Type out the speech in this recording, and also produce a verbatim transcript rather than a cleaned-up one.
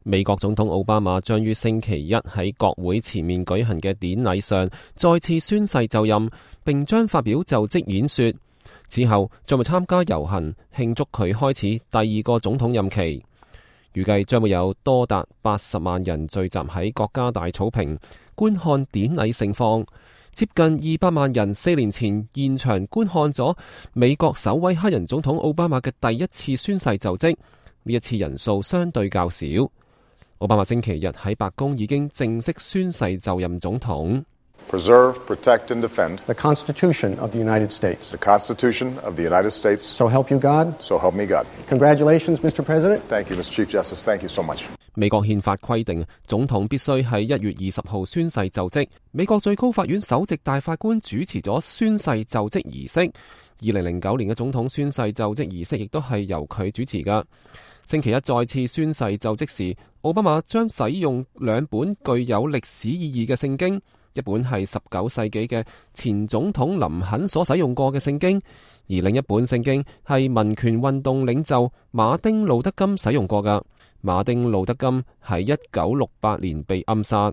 美國總統奧巴馬將於星期一喺國會前面舉行嘅典禮上再次宣誓就任，並將發表就職演說。此後將會參加遊行慶祝佢開始第二個總統任期。預計將會有多達八十萬人聚集喺國家大草坪觀看典禮盛況。接近二百萬人四年前現場觀看咗美國首位黑人總統奧巴馬嘅第一次宣誓就職，呢一次人數相對較少。奧巴馬星期日喺白宮已經正式宣誓就任總統。Preserve, protect, and defend the Constitution of the United States. The Constitution of the United States. So help you God. So help me God. Congratulations, Mister President. Thank you, Mister Chief Justice. Thank you so much. 美國憲法規定，總統必須喺一月二十號宣誓就職。美國最高法院首席大法官主持咗宣誓就職儀式。二零零九年嘅總統宣誓就職儀式亦都係由佢主持㗎。星期一再次宣誓就職時，奧巴馬將使用兩本具有歷史意義嘅聖經。一本係十九世紀嘅前總統林肯所使用過嘅聖經，而另一本聖經係民權運動領袖馬丁路德金使用過㗎。馬丁路德金喺一九六八年被暗殺。